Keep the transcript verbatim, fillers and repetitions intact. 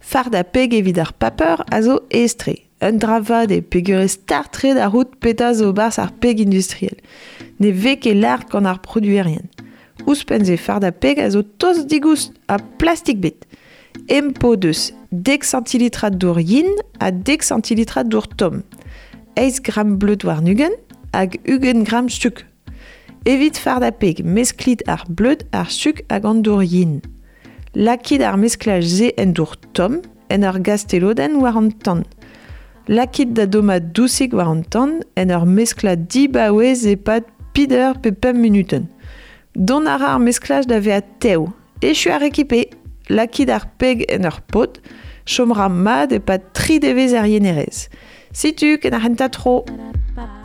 Fardañ peg evit ar paper a zo aes-tre. Un dra vat eo peogwir eo start-tre da c'hoût petra zo 'barzh ar peg industriel. Ne vez ket lâret gant ar produerien. Ouzhpenn-se fardañ peg a zo tost digoust ha plastik ebet. Em po deus dek santilitrad dour yen ha dek santilitrad dour tomm. Eizh gramm bleud warn-ugent hag ugent gramm sukr. Evit fardañ peg, mesklit ar bleud, ar sukr hag an dour yen. Lakit ar mesklaj-se en dour tomm, en ur gastelodenn war an tan. Lakit da dommañ dousik war an tan, en ur mesklañ dibaouez e-pad peder pe pemp munutenn. Dont a ra ar mesklaj da vezañ tev. Echu ar rekipe, lakit ar peg en ur pod, chom ra mat e-pad tri devezh er yenerez. Setu ken ar c'hentañ tro. Ba